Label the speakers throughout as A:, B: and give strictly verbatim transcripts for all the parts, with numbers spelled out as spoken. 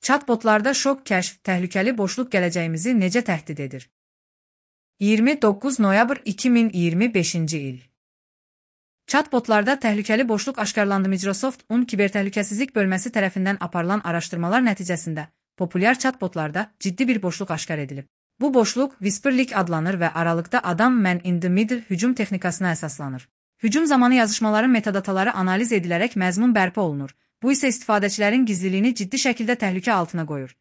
A: Chatbotlarda şok kəşf, təhlükəli boşluq gələcəyimizi necə təhdid edir? iyirmi doqquz noyabr iki min iyirmi beşinci il. Chatbotlarda təhlükəli boşluq aşkarlandı. Microsoft-un kibertəhlükəsizlik bölməsi tərəfindən aparılan araşdırmalar nəticəsində populyar chatbotlarda ciddi bir boşluq aşkar edilib. Bu boşluq Whisperlik adlanır və aralıqda adam man in the middle hücum texnikasına əsaslanır. Hücum zamanı yazışmaların metadataları analiz edilərək məzmun bərpa olunur. Bu isə istifadəçilərin gizliliyini ciddi şəkildə təhlükə altına qoyur.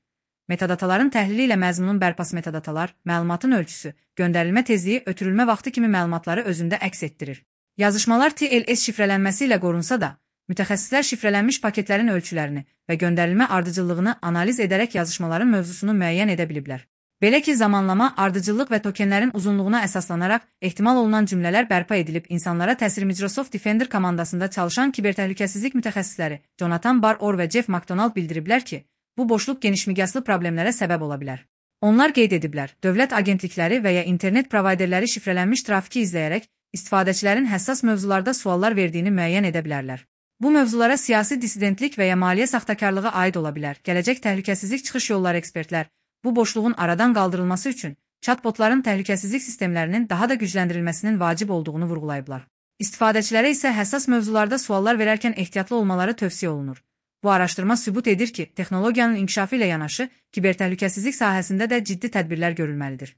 A: Metadataların təhlili ilə məzmunun bərpası metadatalar, məlumatın ölçüsü, göndərilmə tezliyi, ötürülmə vaxtı kimi məlumatları özündə əks etdirir. Yazışmalar T L S şifrələnməsi ilə qorunsa da, mütəxəssislər şifrələnmiş paketlərin ölçülərini və göndərilmə ardıcıllığını analiz edərək yazışmaların mövzusunu müəyyən edə biliblər. Belə ki, zamanlama, ardıcıllıq və tokenlərin uzunluğuna əsaslanaraq ehtimal olunan cümlələr bərpa edilib, insanlara təsir. Microsoft Defender komandasında çalışan kibertəhlükəsizlik mütəxəssisləri Jonathan Barr və Jeff McDonald bildiriblər ki, bu boşluq genişmiqyaslı problemlərə səbəb ola bilər. Onlar qeyd ediblər, dövlət agentlikləri və ya internet provayderləri şifrələnmiş trafiki izləyərək istifadəçilərin həssas mövzularda suallar verdiyini müəyyən edə bilərlər. Bu mövzulara siyasi dissidentlik və ya maliyyə saxtakarlığı aid ola bilər. Gələcək təhlükəsizlik çıxış yolları ekspertlər bu boşluğun aradan qaldırılması üçün chatbotların təhlükəsizlik sistemlərinin daha da gücləndirilməsinin vacib olduğunu vurğulayıblar. İstifadəçilərə isə həssas mövzularda suallar verərkən ehtiyatlı olmaları tövsiyə olunur. Bu araşdırma sübut edir ki, texnologiyanın inkişafı ilə yanaşı kibertəhlükəsizlik sahəsində də ciddi tədbirlər görülməlidir.